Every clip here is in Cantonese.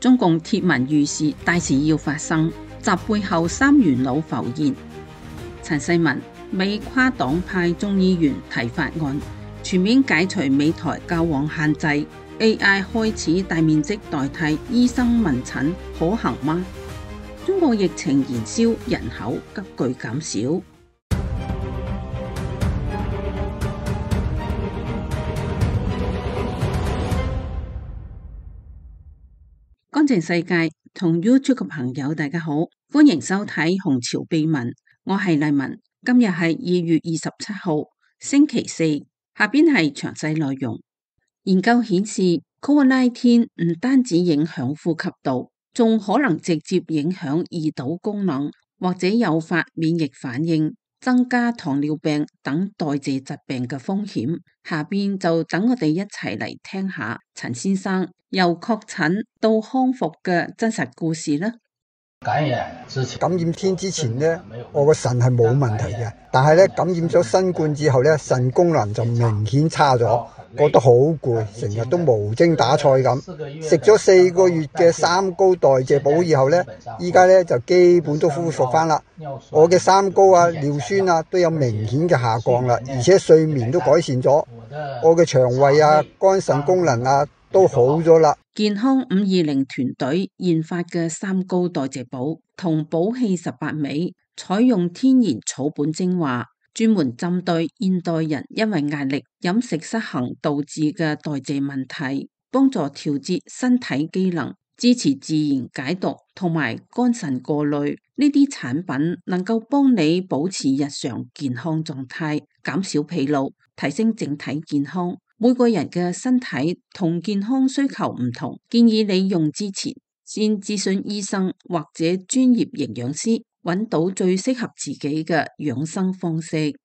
中共貼文預示大事要發生，習背後三元腦浮現。陳世文，美跨黨派眾議員提法案，全面解除美台交往限制 ，AI 開始大面積代替醫生問診，可行嗎？中國疫情延燒，人口急劇減少。乾淨世界同 YouTube 嘅朋友大家好，歡迎收睇紅潮秘聞，我係麗文。今日係2月27號星期四，下邊係詳細內容。研究顯示 COVID-19 唔單止影響呼吸道，仲可能直接影響胰島功能，或者誘發免疫反應，增加糖尿病等代謝疾病嘅風險。下邊就等我哋一齊嚟聽下陳先生由確診到康復嘅真實故事啦。感染天之前呢，我個腎係冇問題嘅，但係咧感染咗新冠之後咧，腎功能就明顯差咗，覺得好攰，成日都無精打采咁。食咗4個月嘅三高代謝補以後咧，依家咧就基本都恢復翻啦。我嘅三高啊、尿酸啊都有明顯嘅下降啦，而且睡眠都改善咗，我嘅腸胃啊、肝腎功能啊都好咗啦。健康520團隊研發嘅三高代謝補同補氣18味，採用天然草本精華，專門針對現代人因為壓力、飲食失衡導致嘅代謝問題，幫助調節身體機能，支持自然解毒同埋肝腎過濾。呢啲產品能夠幫你保持日常健康狀態，減少疲勞，提升整體健康。每個人嘅身體同健康需求唔同，建議你用之前先諮詢醫生或者專業營養師，揾到最適合自己嘅養生方式。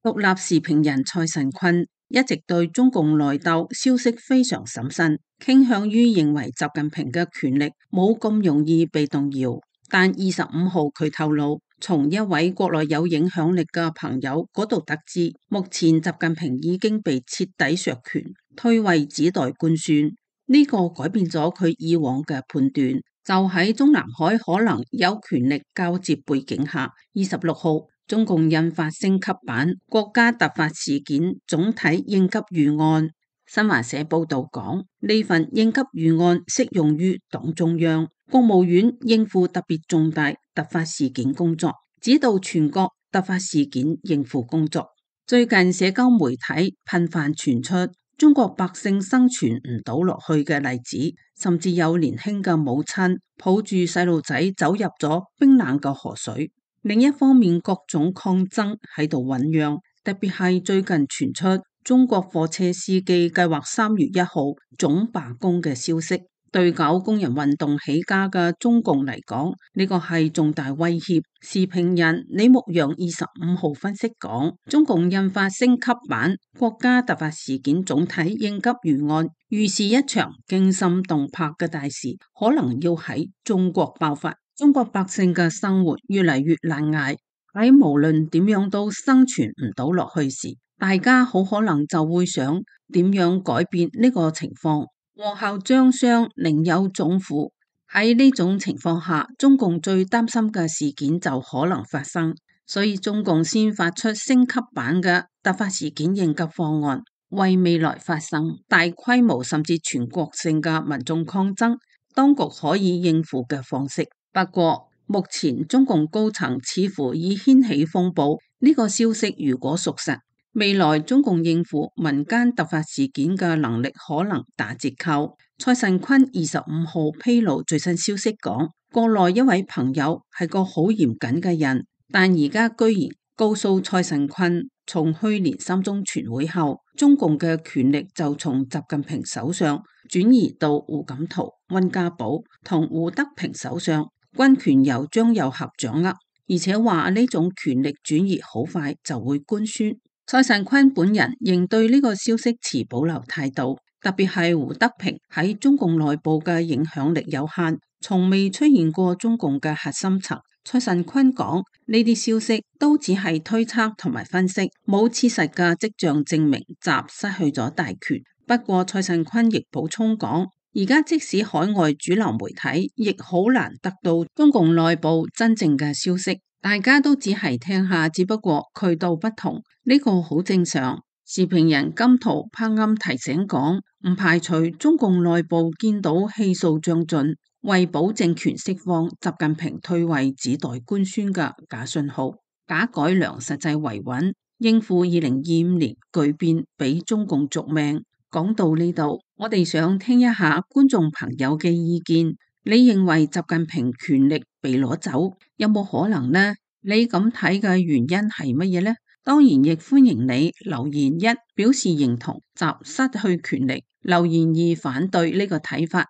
獨立時評人蔡慎坤一直對中共內鬥消息非常審慎，傾向於認為習近平嘅權力冇咁容易被動搖。但25號佢透露，從一位國內有影響力嘅朋友嗰度得知，目前習近平已經被徹底削權，退位只待官宣。呢個改變咗佢以往嘅判斷。就喺中南海可能有權力交接背景下，26號中共印發升級版國家突發事件總體應急預案。新華社報道講，呢份應急預案適用於黨中央、國務院應付特別重大突發事件工作，指導全國突發事件應付工作。最近社交媒體頻繁傳出中國百姓生存唔到落去嘅例子，甚至有年輕嘅母親抱住細路仔走入咗冰冷嘅河水。另一方面，各種抗爭喺度醞釀，特別係最近傳出中國貨車司機計劃3月1號總罷工嘅消息。對搞工人運動起家嘅中共嚟講，呢個係重大威脅。時評人李牧陽25號分析講，中共印發升級版國家突發事件總體應急預案，預示一場驚心動魄嘅大事可能要喺中國爆發。中國百姓嘅生活越嚟越難捱，喺無論點樣都生存唔到落去時，大家好可能就會想點樣改變呢個情況。禍後將相另有種乎。喺呢種情況下，中共最擔心嘅事件就可能發生，所以中共先發出升級版嘅突發事件應急方案，為未來發生大規模甚至全國性嘅民眾抗爭，當局可以應付嘅方式。不過目前中共高層似乎已掀起風暴，呢個消息如果屬實，未來中共應付民間突發事件嘅能力可能打折扣。蔡慎坤25號披露最新消息講，國內一位朋友係個好嚴謹嘅人，但而家居然告訴蔡慎坤，從去年3中全會後，中共嘅權力就從習近平手上轉移到胡錦濤、溫家寶同胡德平手上，軍權由張又俠掌握，而且話呢種權力轉移好快就會官宣。蔡慎坤本人仍對呢個消息持保留態度，特別係胡德平喺中共內部嘅影響力有限，從未出現過中共嘅核心層。蔡慎坤講，呢啲消息都只係推測同埋分析，冇切實嘅跡象證明習失去咗大權。不過蔡慎坤亦補充講，而家即使海外主流媒體，亦好難得到中共內部真正嘅消息，大家都只係聽下，只不過渠道不同，呢個好正常。時評人金濤柏暗提醒講，唔排除中共內部見到氣數將盡，為保證權釋放，習近平退位只待官宣嘅假信號，假改良實際維穩，應付2025年巨變，俾中共續命。講到呢度，我哋想聽一下觀眾朋友嘅意見。你認為習近平權力被攞走，有冇可能呢？你咁睇嘅原因係乜嘢呢？當然亦歡迎你留言一表示認同習失去權力，留言二反對呢個睇法。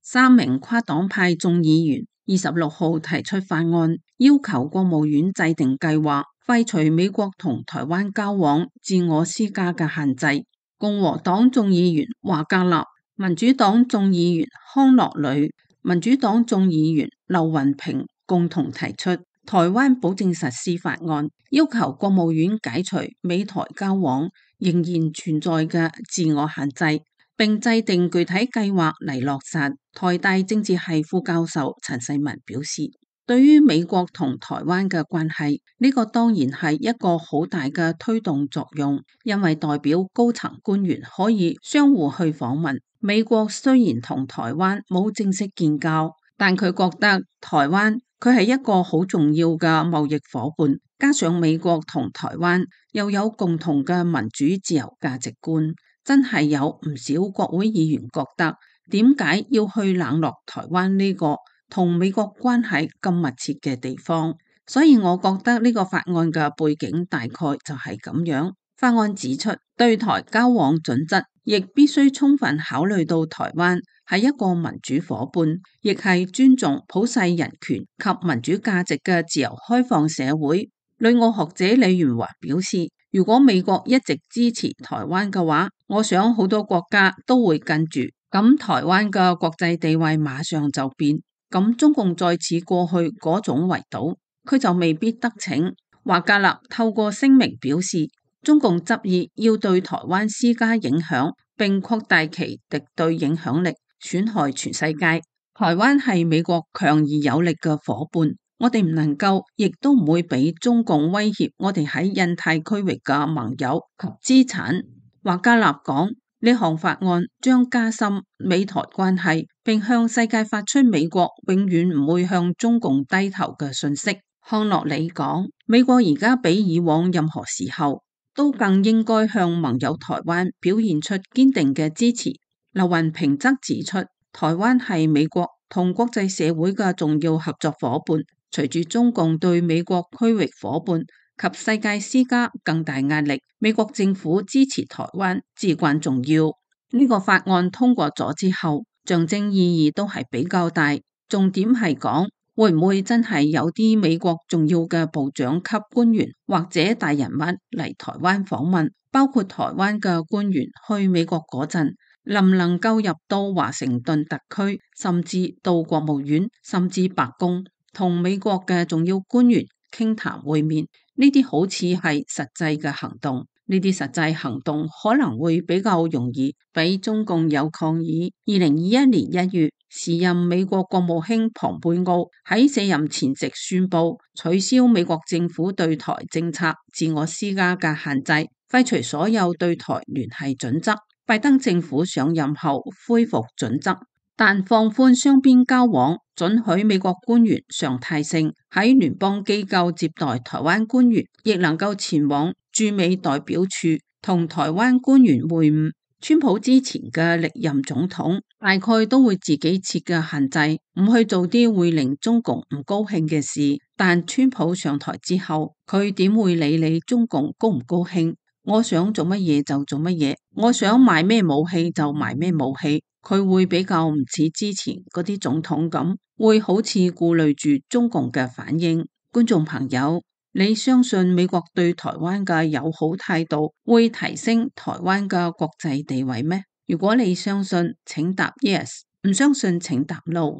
3名跨黨派眾議員26號提出法案，要求國務院制定計劃，廢除美國同台灣交往自我施加嘅限制。共和黨眾議員華格納、民主黨眾議員康樂旅、民主黨眾議員劉雲平共同提出台灣保證實施法案，要求國務院解除美台交往仍然存在嘅自我限制，並制定具體計劃嚟落實。台大政治系副教授陳世文表示，對於美國同台灣嘅關係，呢個當然係一個好大嘅推動作用，因為代表高層官員可以相互去訪問。美國雖然同台灣冇正式建交，但佢覺得台灣佢係一個好重要嘅貿易夥伴，加上美國同台灣又有共同嘅民主自由價值觀，真係有唔少國會議員覺得，點解要去冷落台灣呢個同美國關係咁密切嘅地方？所以我覺得呢個法案嘅背景大概就係咁樣。法案指出，對台交往準則亦必須充分考慮到台灣係一個民主夥伴，亦係尊重普世人權及民主價值嘅自由開放社會。旅澳學者李元華表示，如果美國一直支持台灣嘅話，我想好多國家都會跟住，咁台灣嘅國際地位馬上就變，咁中共再次過去嗰種圍堵，佢就未必得逞。華格納透過聲明表示，中共執意要對台灣施加影響，並擴大其敵對影響力，損害全世界。台灣係美國強而有力嘅夥伴，我哋唔能夠，亦都唔會俾中共威脅我哋喺印太區域嘅盟友及資產。華格納講，呢項法案將加深美台關係，並向世界發出美國永遠唔會向中共低頭嘅訊息。康樂里講，美國而家比以往任何時候都更應該向盟友台灣表現出堅定嘅支持。劉雲平則指出，台灣係美國同國際社會嘅重要合作夥伴，隨住中共對美國區域夥伴及世界施加更大壓力，美國政府支持台灣至關重要。呢個法案通過咗之後，象徵意義都係比較大，重點係講，會唔會真係有啲美國重要嘅部長級官員或者大人物嚟台灣訪問，包括台灣嘅官員去美國嗰陣，能唔能夠入到華盛頓特區，甚至到國務院，甚至白宮，同美國嘅重要官員傾談會面？呢啲好似係實際嘅行動。呢啲實際行動可能會比較容易俾中共有抗議。2021年1月，時任美國國務卿蓬佩奧喺卸任前夕宣布取消美國政府對台政策自我施加嘅限制，廢除所有對台聯繫準則。拜登政府上任後恢復準則，但放寬雙邊交往，准許美國官員常態性喺聯邦機構接待台灣官員，亦能夠前往駐美代表處同台灣官員會晤。川普之前嘅歷任總統大概都會自己設嘅限制，唔去做啲會令中共唔高興嘅事。但川普上台之後，佢點會理你中共高唔高興？我想做乜嘢就做乜嘢，我想買咩武器就買咩武器。佢會比較唔似之前嗰啲總統咁，會好似顧慮住中共嘅反應。觀眾朋友，你相信美國對台灣嘅友好態度會提升台灣嘅國際地位咩？如果你相信，請答 yes； 唔相信，請答 no。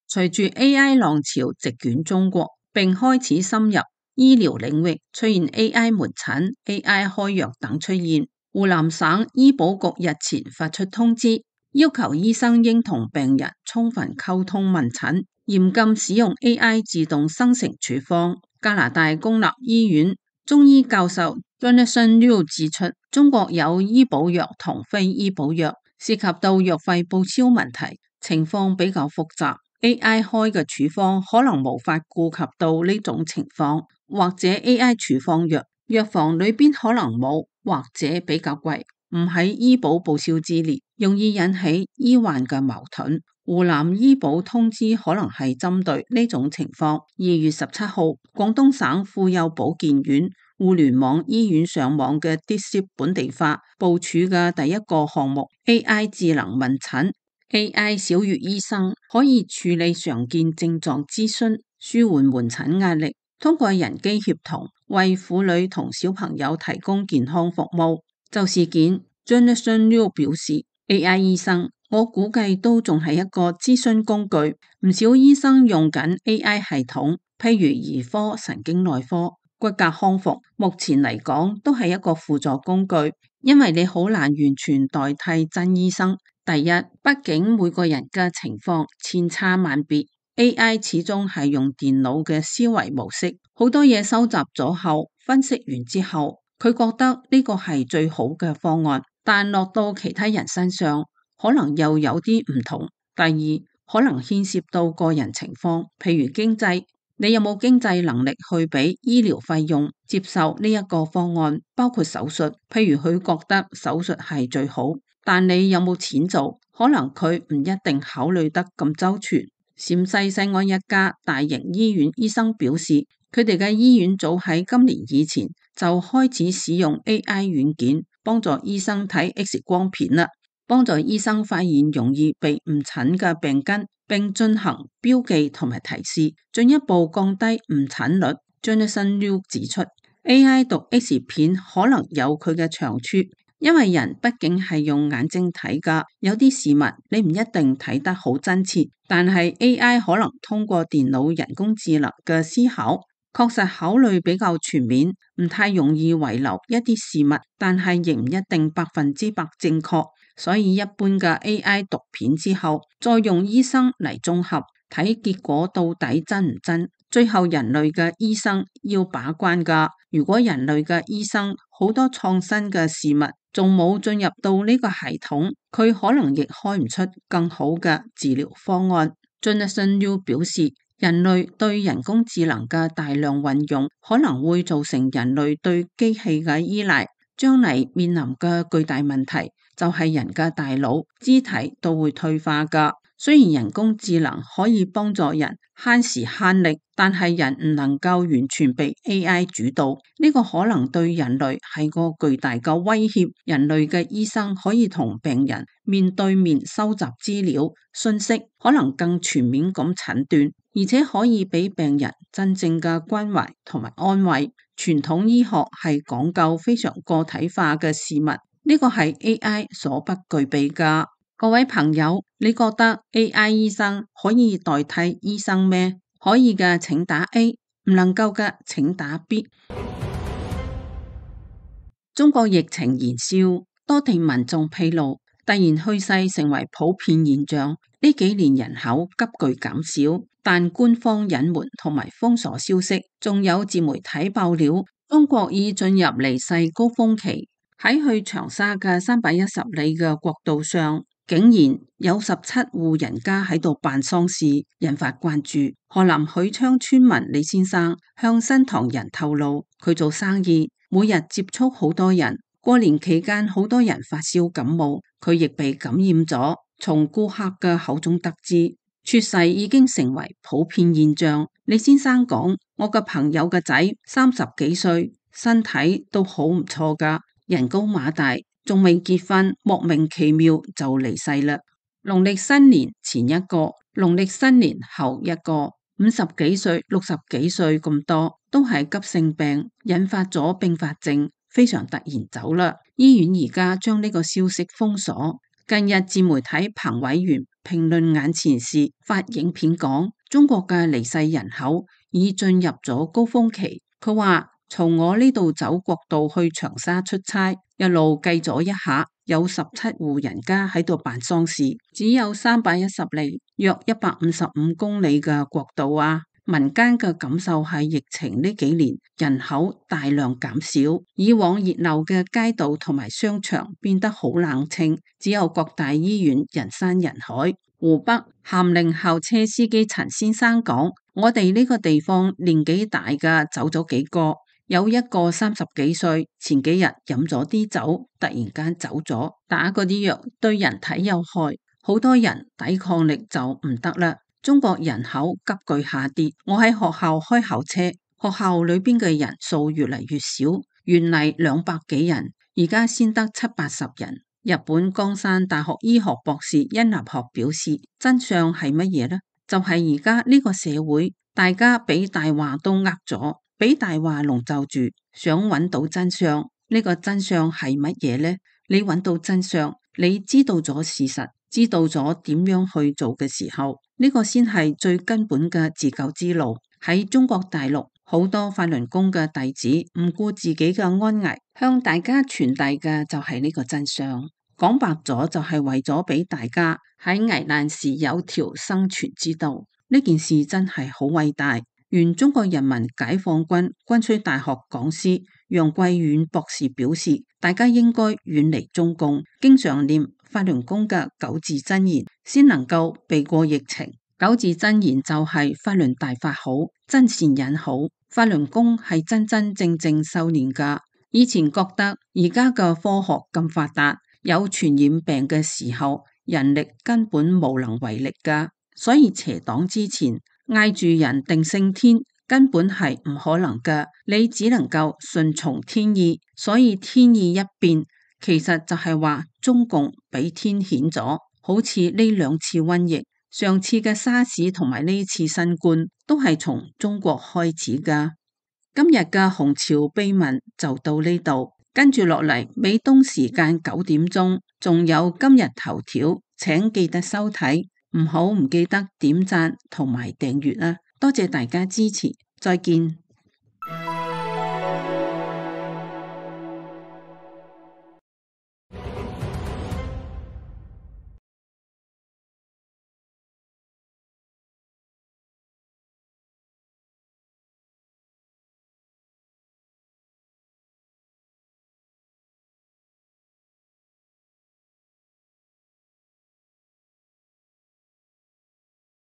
隨住 AI 浪潮席捲中國，並開始深入醫療領域出現 AI 門診、AI 開藥等出現。湖南省醫保局日前發出通知，要求醫生應同病人充分溝通問診，嚴禁使用 AI 自動生成處方。加拿大公立醫院中醫教授 Jonathan Liu 指出，中國有醫保藥同非醫保藥，涉及到藥費報銷問題，情況比較複雜。AI 開嘅處方可能無法顧及到呢種情況，或者 AI 處方藥房裏邊可能冇，或者比較貴，唔喺醫保報銷之列，容易引起醫患嘅矛盾。湖南醫保通知可能係針對呢種情況。2月17號，廣東省婦幼保健院互聯網醫院上網嘅 DeepSeek 本地化部署嘅第一個項目 AI 智能問診。AI 小月醫生可以處理常見症狀諮詢，舒緩門診壓力，通過人機協同為婦女同小朋友提供健康服務。就事件 Jonathan Liu 表示 AI 醫生我估計都仲係一個諮詢工具，唔少醫生用緊 AI 系統，譬如兒科、神經內科、骨骼康復，目前嚟講都係一個輔助工具，因為你好難完全代替真醫生。第一，畢竟每個人嘅情況千差萬別， AI 始終係用電腦嘅思維模式，好多嘢收集咗後，分析完之後，佢覺得呢個係最好嘅方案，但落到其他人身上，可能又有啲唔同。第二，可能牽涉到個人情況，譬如經濟，你有冇經濟能力去俾醫療費用，接受呢一個方案，包括手術，譬如佢覺得手術係最好。但你有冇錢做？可能佢唔一定考慮得咁周全。陝西西安一家大型醫院醫生表示，佢哋嘅醫院早喺今年以前就開始使用 AI 軟件幫助醫生睇 X 光片啦，幫助醫生發現容易被誤診嘅病根，並進行標記同埋提示，進一步降低誤診率。Jonathan Liu 指出， AI 讀 X 片可能有佢嘅長處，因為人畢竟係用眼睛睇㗎，有啲事物你唔一定睇得好真切，但係 AI 可能通過電腦人工智能嘅思考，確實考慮比較全面，唔太容易遺留一啲事物，但係亦唔一定100%正確，所以一般嘅 AI 讀片之後，再用醫生嚟綜合睇結果到底真唔真，最後人類嘅醫生要把關㗎。如果人類嘅醫生好多創新嘅事物仲冇進入到呢個系統，佢可能亦開唔出更好嘅治療方案。Jonathan Liu 表示，人類對人工智能嘅大量運用可能會造成人類對機器嘅依賴，將嚟面臨嘅巨大問題就係人嘅大腦、肢體都會退化㗎。雖然人工智能可以幫助人慳時慳力，但係人唔能夠完全被 AI 主導，呢個可能對人類係個巨大嘅威脅。人類嘅醫生可以同病人面對面收集資料、信息，可能更全面咁診斷，而且可以俾病人真正嘅關懷同埋安慰。傳統醫學係講究非常個體化嘅事物，呢個係 AI 所不具備㗎。各位朋友，你覺得 AI 醫生可以代替醫生咩？可以嘅請打 A， 唔能夠嘅請打 B。中國疫情延燒，多地民眾披露，突然去世成為普遍現象。呢幾年人口急劇減少，但官方隱瞞同埋封鎖消息，仲有自媒體爆料，中國已進入離世高峰期。喺去長沙嘅310里嘅國道上，竟然有17戶人家喺度辦喪事，引發關注。河南許昌村民李先生向新唐人透露，佢做生意每日接觸好多人，過年期間好多人發燒感冒，佢亦被感染咗。從顧客嘅口中得知，猝逝已經成為普遍現象。李先生講，我嘅朋友嘅仔30幾歲，身體都好唔錯㗎，人高馬大，仲未結婚，莫名其妙就離世啦。農曆新年前一個，農曆新年後一個，50幾歲、60幾歲咁多，都係急性病，引發咗併發症，非常突然走啦。醫院而家將呢個消息封鎖。近日自媒體彭偉源評論眼前事，發影片講，中國嘅離世人口已進入咗高峰期。佢話從我呢度走國道去長沙出差，一路計咗一下，有17戶人家喺度辦喪事，只有310里，約155公里嘅國道啊！民間嘅感受係疫情呢幾年人口大量減少，以往熱鬧嘅街道同埋商場變得好冷清，只有各大醫院人山人海。湖北咸寧校車司機陳先生講：我哋呢個地方年紀大嘅走咗幾個，有一個30幾歲，前幾日飲咗啲酒，突然間走咗，打嗰啲藥對人體有害，好多人抵抗力就唔得啦。中國人口急劇下跌，我喺學校開校車，學校裏邊嘅人數越嚟越少，原嚟200幾人，而家先得70-80人。日本江山大學醫學博士殷立學表示，真相係乜嘢呢？就係而家呢個社會，大家俾大話都呃咗，俾大話籠罩住，想揾到真相。呢個真相係乜嘢呢？你揾到真相，你知道咗事實，知道咗點樣去做嘅時候，呢個先係最根本嘅自救之路。喺中國大陸，好多法輪功嘅弟子唔顧自己嘅安危，向大家傳遞嘅就係呢個真相。講白咗就係為咗俾大家喺危難時有條生存之道。呢件事真係好偉大。原中國人民解放軍軍需大學講師楊貴遠博士表示，大家應該遠離中共，經常念法輪功嘅9字真言，先能夠避過疫情。9字真言就係法輪大法好，真善忍好。法輪功係真真正正修煉噶。以前覺得而家嘅科學咁發達，有傳染病嘅時候，人力根本無能為力噶，所以邪黨之前嗌住人定勝天，根本係唔可能噶，你只能夠順從天意。所以天意一變，其實就係話中共俾天譴咗。好似呢2次瘟疫，上次嘅沙士同埋呢次新冠，都係從中國開始噶。今日嘅紅潮秘聞就到呢度，跟住落嚟美東時間9點鐘，仲有今日頭條，請記得收睇。唔記得點讚同埋訂閱啦，多謝大家支持，再見。